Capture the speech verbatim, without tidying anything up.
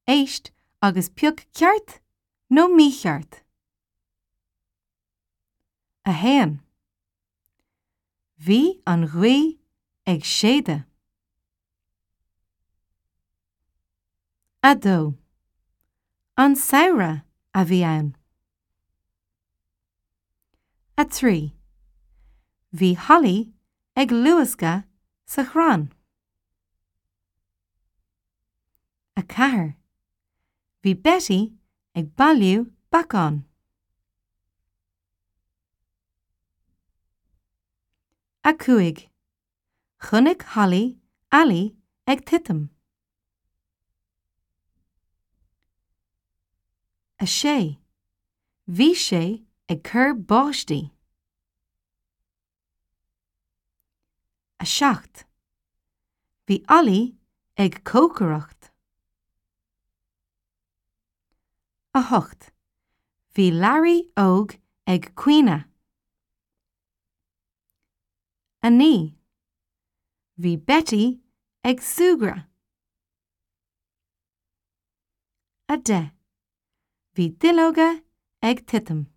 Éist agus pioc ceart nó mícheart. A haon. Bhí an ghaoth ag séideadh. A dó. An samhradh a bhí ann. A trí. Bhí Holly ag luascadh sa chrann. A ceathair. Bhí Betty ag bailiú beacán. A cúig. Chonaic Holly Ali ag titim. A sé. Bhí sé ag cur báistí. A seacht. Bhí Ollie ag cócaireacht. A hocht. Bhí Larry óg ag caoineadh. A naoi. Bhí Betty ag súgradh. A deich. Bhí duilleoga ag titim.